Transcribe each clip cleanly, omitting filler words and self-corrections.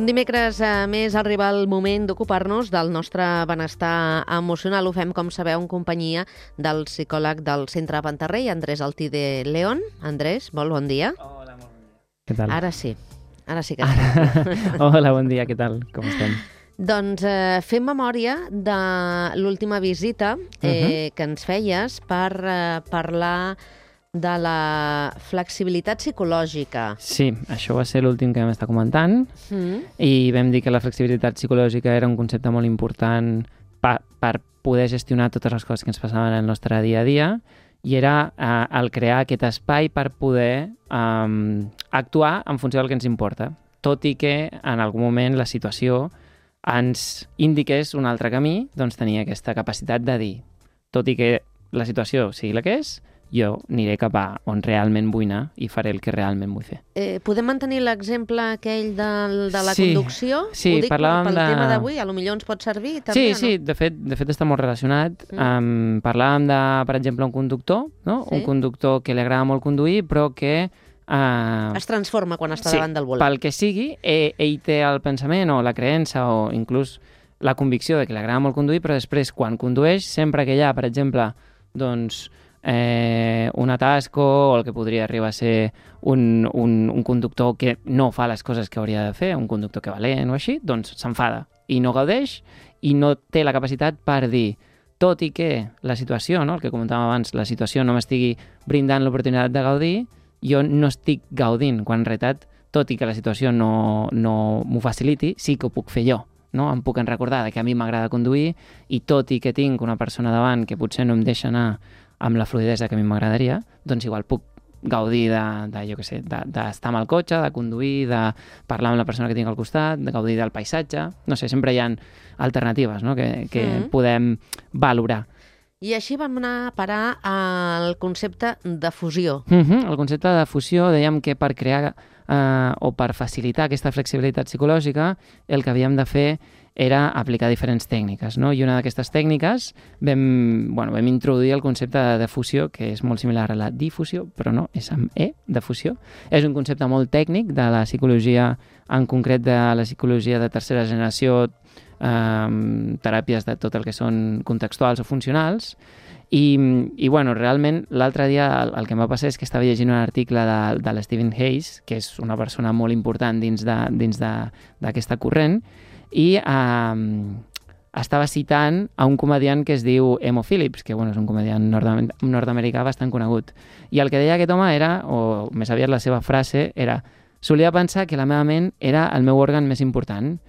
un dimecres més arriba el moment d'ocupar-nos del nostre benestar emocional. Ho fem, com sabeu, en companyia del psicòleg del Centre Pantarrey, Andrés Altide León. Andrés, bon dia. Hola, molt bon dia. Què tal? Ara sí que sí. Hola, bon dia, què tal? Com estem? Doncs fem memòria de l'última visita que ens feies per parlar de la flexibilitat psicològica. Sí, això va ser l'últim que vam estar comentant i vam dir que la flexibilitat psicològica era un concepte molt important per poder gestionar totes les coses que ens passaven en el nostre dia a dia i era el crear aquest espai per poder actuar en funció del que ens importa, tot i que en algun moment la situació ens indiqués un altre camí, doncs tenia aquesta capacitat de dir, tot i que la situació sigui la que és, jo aniré cap a on realment vull anar i faré el que realment vull fer. Podem mantenir l'exemple aquell de la conducció? Sí, ho dic pel tema d'avui, potser ens pot servir també, no? Sí, de fet està molt relacionat. Parlàvem de, per exemple, un conductor, no? Un conductor que li agrada molt conduir, però que es transforma quan està davant del volant. Pel que sigui, ell té el pensament o la creença o inclús la convicció de que li agrada molt conduir, però després, quan condueix, sempre que hi ha, per exemple, doncs, un atasco o el que podria arribar a ser un conductor que no fa les coses que hauria de fer, un conductor que valent o així, doncs s'enfada i no gaudeix i no té la capacitat per dir, tot i que la situació, no? El que comentàvem abans, la situació no m'estigui brindant l'oportunitat de gaudir, jo no estic gaudint, quan en realitat, tot i que la situació no m'ho faciliti, sí que ho puc fer jo. No? Em puc recordar que a mi m'agrada conduir i tot i que tinc una persona davant que potser no em deixa anar amb la fluidesa que a mi m'agradaria, doncs igual puc gaudir d'estar amb el cotxe, de conduir, de parlar amb la persona que tinc al costat, de gaudir del paisatge. No sé, sempre hi ha alternatives, no? que podem valorar. I així vam anar a parar al concepte de fusió. El concepte de fusió, dèiem que per crear o per facilitar aquesta flexibilitat psicològica, el que havíem de fer era aplicar diferents tècniques, no? I una d'aquestes tècniques vam introduir el concepte de fusió, que és molt similar a la difusió, però no, és amb E, de fusió. És un concepte molt tècnic de la psicologia, en concret de la psicologia de tercera generació, teràpies de tot el que són contextuals o funcionals, i realment l'altre dia el que em va passar és que estava llegint un article de l'Stephen Hayes, que és una persona molt important dins d'aquesta corrent, i estava citant a un comediant que es diu Emo Phillips, que és un comediant nord-americà bastant conegut. I el que deia aquest home era, o més aviat la seva frase, era: solia pensar que la meva ment era el meu òrgan més important.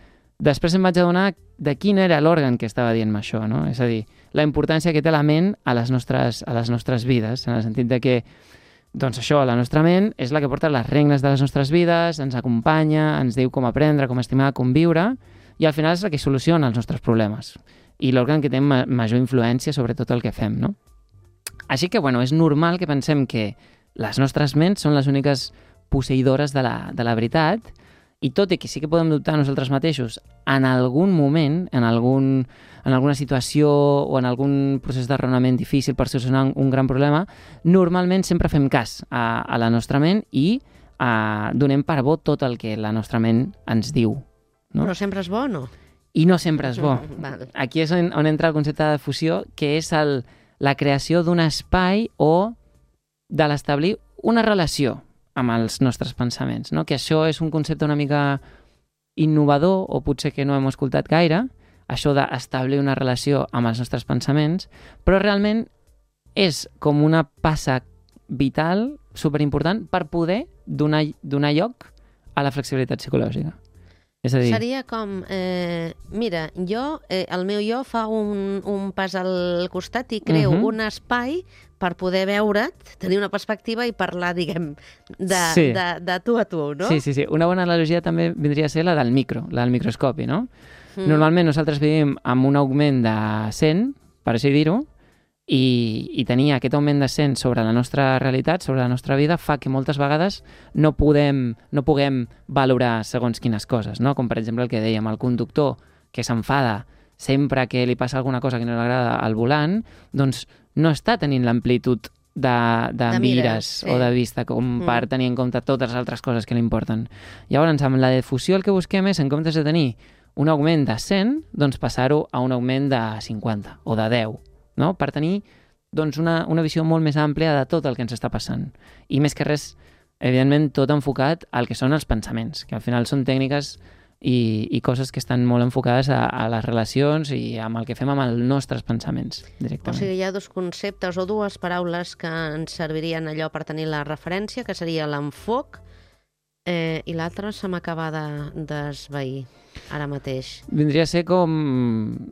Després em vaig adonar de quin era l'òrgan que estava dient-me això, no? És a dir, la importància que té la ment a les nostres vides, en el sentit de que doncs això, la nostra ment és la que porta les regnes de les nostres vides, ens acompanya, ens diu com aprendre, com estimar, com viure, i al final és la que soluciona els nostres problemes. I l'òrgan que té major influència sobre tot el que fem, no? Així que, és normal que pensem que les nostres ments són les úniques posseïdores de la veritat, i tot i que sí que podem dubtar nosaltres mateixos en algun moment, en alguna situació o en algun procés de raonament difícil per solucionar un gran problema, normalment sempre fem cas a la nostra ment i donem per bo tot el que la nostra ment ens diu. No? Però sempre és bo o no? I no sempre és bo. Aquí és on entra el concepte de fusió, que és la creació d'un espai o de l'establir una relació amb els nostres pensaments, no? Que això és un concepte una mica innovador o potser que no hem escoltat gaire, això d'establir una relació amb els nostres pensaments, però realment és com una passa vital, superimportant, per poder donar lloc a la flexibilitat psicològica. És a dir... Seria com, mira, el meu jo fa un pas al costat i creo un espai per poder veure't, tenir una perspectiva i parlar, diguem, de tu a tu, no? Sí. Una bona analogia també vindria a ser la del microscopi, no? Normalment nosaltres vivim amb un augment de 100, per així dir-ho, i tenir aquest augment de 100 sobre la nostra realitat, sobre la nostra vida, fa que moltes vegades no puguem valorar segons quines coses, no? Com per exemple el que dèiem, el conductor que s'enfada sempre que li passa alguna cosa que no li agrada al volant, doncs no està tenint l'amplitud de mires o de vista, com per tenir en compte totes les altres coses que li importen. Llavors, amb la difusió el que busquem és, en comptes de tenir un augment de 100, doncs passar-ho a un augment de 50 o de 10, no? Per tenir doncs, una visió molt més àmplia de tot el que ens està passant. I més que res, evidentment, tot enfocat al que són els pensaments, que al final són tècniques i coses que estan molt enfocades a les relacions i amb el que fem amb els nostres pensaments, directament. O sigui, hi ha dos conceptes o dues paraules que ens servirien allò per tenir la referència, que seria l'enfoc i l'altre se m'acaba d'esvair ara mateix. Vindria a ser com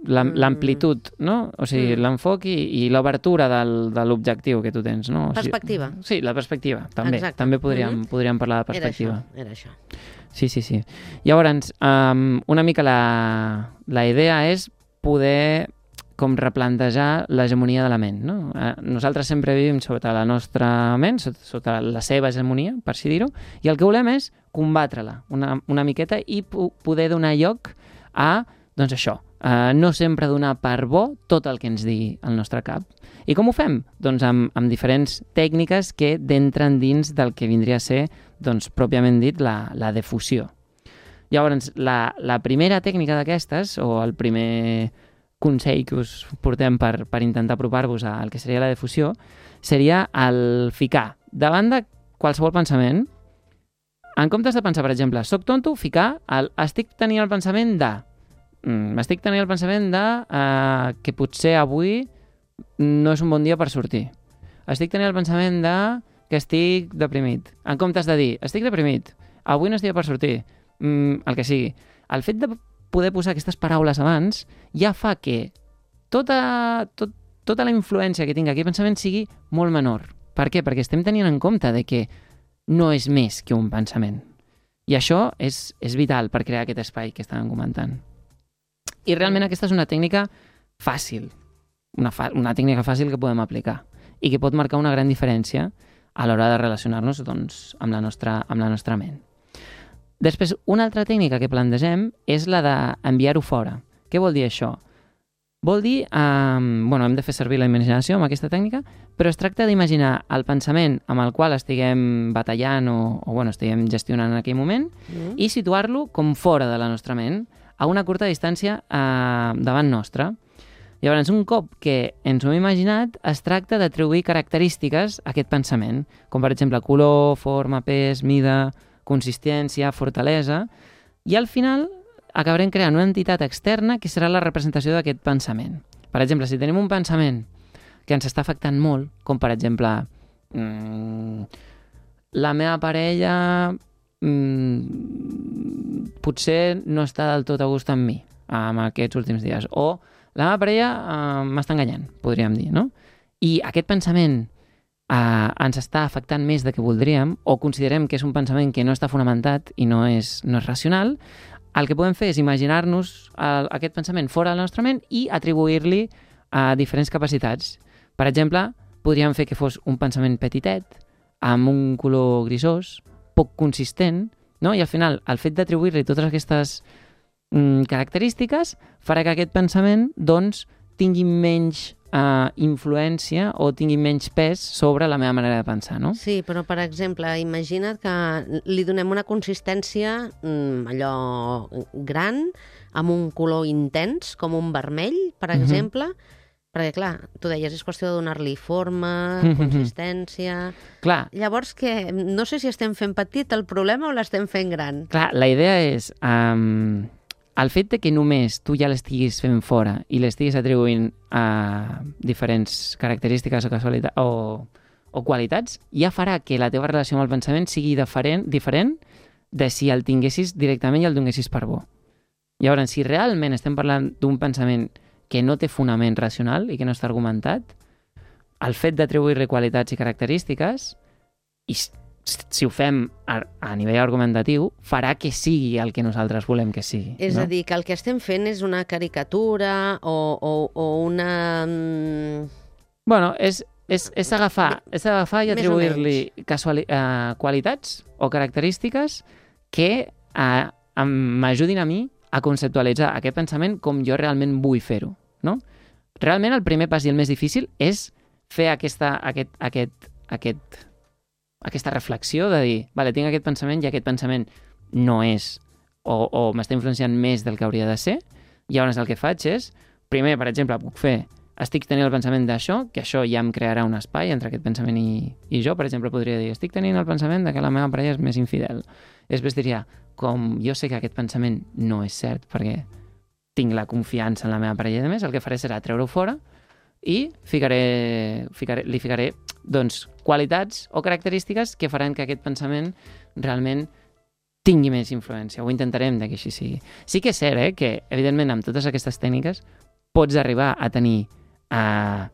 l'amplitud, no? O sigui, l'enfoc i l'obertura de l'objectiu que tu tens, no? O sigui, perspectiva. Sí, la perspectiva, també. Exacte. També podríem parlar de perspectiva. Era això. Sí. Llavors, una mica la idea és poder com replantejar l'hegemonia de la ment, no? Nosaltres sempre vivim sota la nostra ment, sota la seva hegemonia, per així dir-ho, i el que volem és combatre-la una miqueta i poder donar lloc a, doncs això, no sempre donar per bo tot el que ens digui el nostre cap. I com ho fem? Doncs amb diferents tècniques que d'entren dins del que vindria a ser, doncs, pròpiament dit, la defusió. Llavors, la primera tècnica d'aquestes, o el primer consell que us portem per intentar apropar-vos al que seria la defusió, seria el ficar davant de qualsevol pensament, en comptes de pensar, per exemple, soc tonto, ficar estic tenint el pensament de que potser avui no és un bon dia per sortir. Estic tenint el pensament de que estic deprimit. En comptes de dir, estic deprimit, avui no és dia per sortir, el que sigui. El fet de poder posar aquestes paraules abans ja fa que tota la influència que tingui aquest pensament sigui molt menor. Per què? Perquè estem tenint en compte de que no és més que un pensament. I això és vital per crear aquest espai que estàvem comentant. I realment aquesta és una tècnica fàcil, una tècnica fàcil que podem aplicar i que pot marcar una gran diferència a l'hora de relacionar-nos doncs, amb la nostra ment. Després, una altra tècnica que plantegem és la d'enviar-ho fora. Què vol dir això? Vol dir, hem de fer servir la imaginació amb aquesta tècnica, però es tracta d'imaginar el pensament amb el qual estiguem batallant o estiguem gestionant en aquell moment i situar-lo com fora de la nostra ment, a una curta distància davant nostra. Llavors, un cop que ens ho hem imaginat, es tracta d'atribuir característiques a aquest pensament, com per exemple color, forma, pes, mida, consistència, fortalesa, i al final acabarem creant una entitat externa que serà la representació d'aquest pensament. Per exemple, si tenim un pensament que ens està afectant molt, com per exemple la meva parella potser no està del tot a gust amb mi en aquests últims dies, o la meva parella m'està enganyant, podríem dir, no? I aquest pensament ens està afectant més del que voldríem, o considerem que és un pensament que no està fonamentat i no és racional, el que podem fer és imaginar-nos aquest pensament fora de la nostra ment i atribuir-li diferents capacitats. Per exemple, podríem fer que fos un pensament petitet, amb un color grisós, poc consistent, no? I al final, el fet d'atribuir-li totes aquestes característiques farà que aquest pensament doncs, tingui menys influència o tingui menys pes sobre la meva manera de pensar, no? Sí, però per exemple, imagina't que li donem una consistència allò gran, amb un color intens, com un vermell, per exemple, perquè clar, tu deies, és qüestió de donar-li forma, consistència... Clar. Llavors, no sé si estem fent petit el problema o l'estem fent gran. Clar, la idea és... el fet de que només tu ja l'estiguis fent fora i l'estiguis atribuint a diferents característiques o qualitats ja farà que la teva relació amb el pensament sigui diferent de si el tinguessis directament i el donessis per bo. Llavors, si realment estem parlant d'un pensament que no té fonament racional i que no està argumentat, el fet d'atribuir-li qualitats i característiques, i si ho fem a nivell argumentatiu, farà que sigui el que nosaltres volem que sigui. És a dir, que el que estem fent és una caricatura o una... Bueno, és agafar i atribuir-li qualitats o característiques que m'ajudin a mi a conceptualitzar aquest pensament com jo realment vull fer-ho, no? Realment el primer pas i el més difícil és fer aquesta reflexió de dir, vale, tinc aquest pensament i aquest pensament no és o m'està influenciant més del que hauria de ser. Llavors el que faig és, primer, per exemple, puc fer, estic tenint el pensament d'això, que això ja em crearà un espai entre aquest pensament i jo. Per exemple, podria dir, estic tenint el pensament de que la meva parella és més infidel. Després diria, com jo sé que aquest pensament no és cert perquè tinc la confiança en la meva parella i més, el que faré serà treure-ho fora i li ficaré doncs, qualitats o característiques que faran que aquest pensament realment tingui més influència. Ho intentarem que així sigui. Sí que és cert que, evidentment, amb totes aquestes tècniques pots arribar a tenir a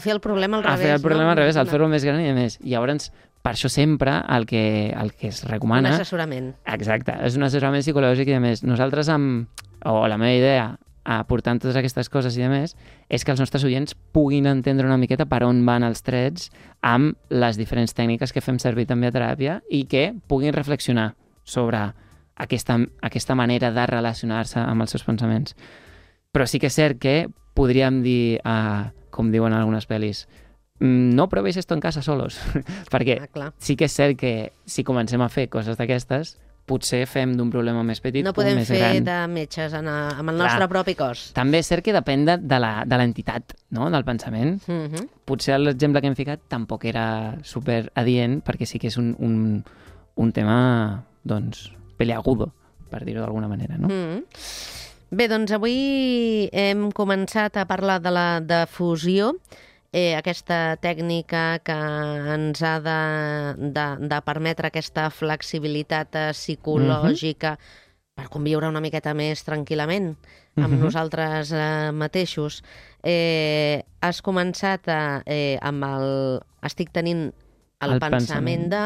fer el problema al revés. A fer el problema al revés, al fer-lo més gran i més. Llavors, per això sempre el que es recomana... Un assessorament. Exacte, és un assessorament psicològic i a més. Nosaltres, o la meva idea, aportant totes aquestes coses i més, és que els nostres oients puguin entendre una miqueta per on van els trets amb les diferents tècniques que fem servir també a teràpia i que puguin reflexionar sobre aquesta manera de relacionar-se amb els seus pensaments. Però sí que és cert que podríem dir, com diuen algunes pel·lis, no provéis esto en casa solos, perquè sí que és cert que si comencem a fer coses d'aquestes, potser fem d'un problema més petit no podem més gran. fer de metges amb el nostre propi cos. També és cert que depèn de l'entitat, no?, del pensament. Potser l'exemple que hem ficat tampoc era super adient, perquè sí que és un tema, doncs, peleagudo, per dir-ho d'alguna manera, no? Bé, doncs avui hem començat a parlar de la difusió, aquesta tècnica que ens ha de permetre aquesta flexibilitat psicològica per conviure una miqueta més tranquil·lament amb nosaltres mateixos. Has començat amb estic tenint el pensament de...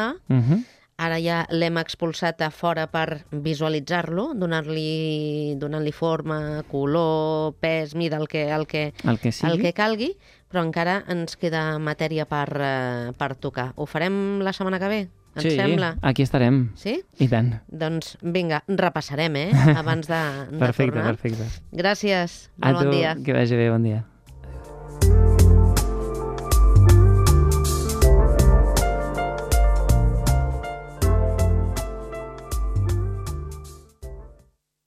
Ara ja l'hem expulsat a fora per visualitzar-lo, donant-li forma, color, pes, mida, el que calgui, però encara ens queda matèria per tocar. Ho farem la setmana que ve? Ens sembla? Sí, aquí estarem. Sí? I tant. Doncs vinga, repassarem, abans de tornar. Perfecte. Gràcies. Molt bon dia. Que vagi bé, bon dia.